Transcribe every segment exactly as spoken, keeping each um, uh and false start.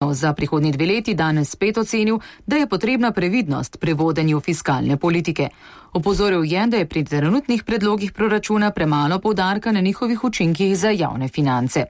za prihodnji dve leti danes spet ocenil, da je potrebna previdnost pri vodenju fiskalne politike. Opozoril je, da je pri trenutnih predlogih proračuna premalo poudarka na njihovih učinkih za javne finance.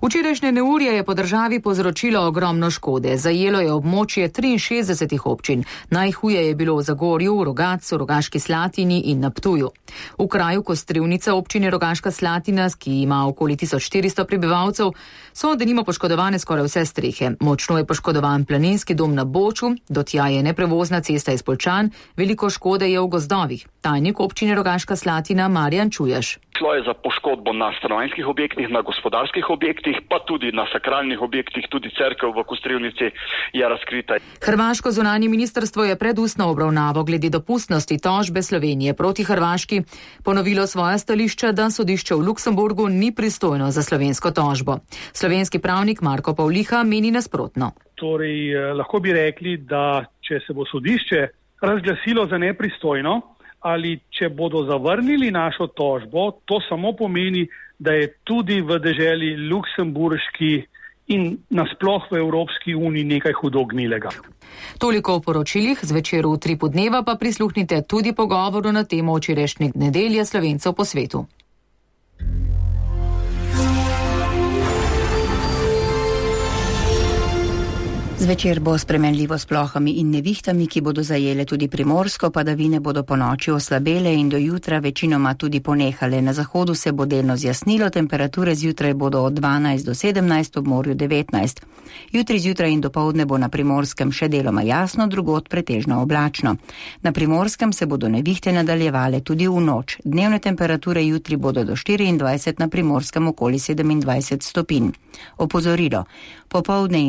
Včerajšnje neurje je po državi povzročilo ogromno škode. Zajelo je območje triinšestdesetih občin. Najhuje je bilo v Zagorju, v Rogatcu, Rogaški Slatini in na Ptuju. V kraju Kostrevnica občine Rogaška Slatina, ki ima okoli tisoč štiristo prebivalcev, so denimo poškodovane skoraj vse strehe. Močno je poškodovan planinski dom na Boču, do tja je neprevozna cesta iz Poljčan, veliko škode je v gozdovih. Tajnik občine Rogaška Slatina Marjan Čujaš. Šlo je za poškodbo na stanovanjskih objektih, na gospodarskih objektih, pa tudi na sakralnih objektih, tudi cerkev v Kostrevnici je razkrita. Hrvaško zunanje ministrstvo je pred ustno obravnavo glede dopustnosti tožbe Slovenije proti Hrvaški ponovilo svoja stališča, da sodišče v Luksemburgu ni pristojno za slovensko tožbo. Slovenski pravnik Marko Pavliha meni nasprotno. Torej, lahko bi rekli, da če se bo sodišče razglasilo za nepristojno, ali če bodo zavrnili našo tožbo, to samo pomeni, da je tudi v deželi luksemburški in nasploh v Evropski uniji nekaj hudo gnilega. Toliko o poročilih, zvečer v Tripu dneva pa prisluhnite tudi pogovoru na temo včerajšnje nedelje Slovencev po svetu. Zvečer bo spremenljivo s plohami in nevihtami, ki bodo zajele tudi Primorsko, padavine bodo po noči oslabele in do jutra večinoma tudi ponehale. Na zahodu se bo delno zjasnilo, temperature zjutraj bodo od dvanajst do sedemnajst, ob morju devetnajst. Jutri zjutraj in dopoldne bo na Primorskem še deloma jasno, drugod pretežno oblačno. Na Primorskem se bodo nevihte nadaljevale tudi v noč. Dnevne temperature jutri bodo do štiriindvajset, na Primorskem okoli sedemindvajset stopinj. Opozorilo. Popoldne in